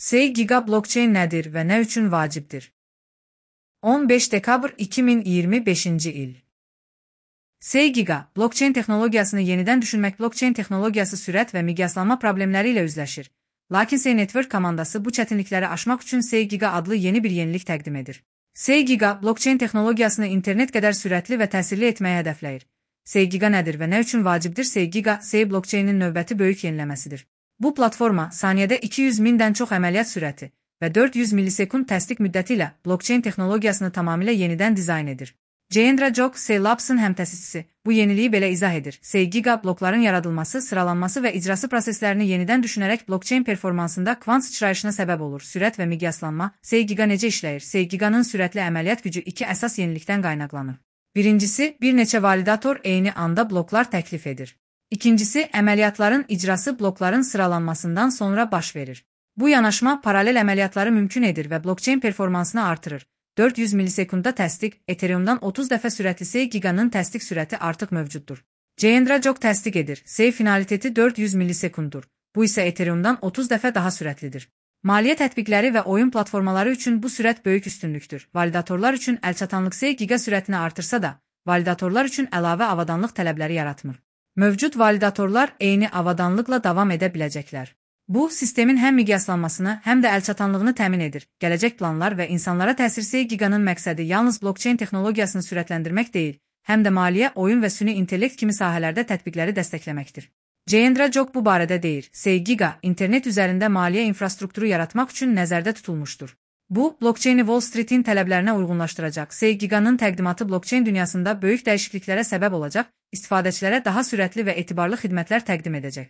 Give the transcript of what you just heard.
SeyGiga blockchain nədir və nə üçün vacibdir? 15 dekabr 2025-ci il. SeyGiga, blockchain texnologiyasını yenidən düşünmək. Blockchain texnologiyası sürət və miqyaslanma problemləri ilə üzləşir. Lakin Sey Network komandası bu çətinlikləri aşmaq üçün SeyGiga adlı yeni bir yenilik təqdim edir. SeyGiga, blockchain texnologiyasını internet qədər sürətli və təsirli etməyi hədəfləyir. SeyGiga nədir və nə üçün vacibdir? SeyGiga, Sey blockchainin növbəti böyük yeniləməsidir. Bu platforma saniyədə 200.000-dən çox əməliyyat sürəti və 400 millisekund təsdiq müddəti ilə blockchain texnologiyasını tamamilə yenidən dizayn edir. Jayendra Jog, Sey Labs'ın həmtəsisçisi, bu yeniliyi belə izah edir. SeyGiga, blokların yaradılması, sıralanması və icrası proseslərini yenidən düşünərək blockchain performansında kvant sıçrayışına səbəb olur. Sürət və miqyaslanma. SeyGiga necə işləyir? SeyGiganın sürətli əməliyyat gücü iki əsas yenilikdən qaynaqlanır. Birincisi, bir neçə validator eyni anda bloklar təklif edir. İkincisi, əməliyyatların icrası blokların sıralanmasından sonra baş verir. Bu yanaşma paralel əməliyyatları mümkün edir və blockchain performansını artırır. 400 millisekundda təsdiq, Ethereum'dan 30 dəfə sürətli SeyGiga'nın təsdiq sürəti artıq mövcuddur. Jayendra Jog təsdiq edir. Sey finaliteti 400 millisekunddur. Bu isə Ethereum'dan 30 dəfə daha sürətlidir. Maliyyə tətbiqləri və oyun platformaları üçün bu sürət böyük üstünlükdür. Validatorlar üçün əlçatanlıq SeyGiga sürətini artırsa da, validatorlar üçün əlavə avadanlıq tələbləri yaratmır. Mövcud validatorlar eyni avadanlıqla davam edə biləcəklər. Bu, sistemin həm miqyaslanmasını, həm də əlçatanlığını təmin edir. Gələcək planlar və insanlara təsir. SeyGiga'nın məqsədi yalnız blockchain texnologiyasını sürətləndirmək deyil, həm də maliyyə, oyun və süni intellekt kimi sahələrdə tətbiqləri dəstəkləməkdir. Jayendra Jog bu barədə deyir. SeyGiga, internet üzərində maliyyə infrastrukturu yaratmaq üçün nəzərdə tutulmuşdur. Bu, blockchaini Wall Street'in tələblərinə uyğunlaşdıracaq. SeyGiga'nın təqdimatı blockchain dünyasında böyük dəyişikliklərə səbəb olacaq, istifadəçilərə daha sürətli və etibarlı xidmətlər təqdim edəcək.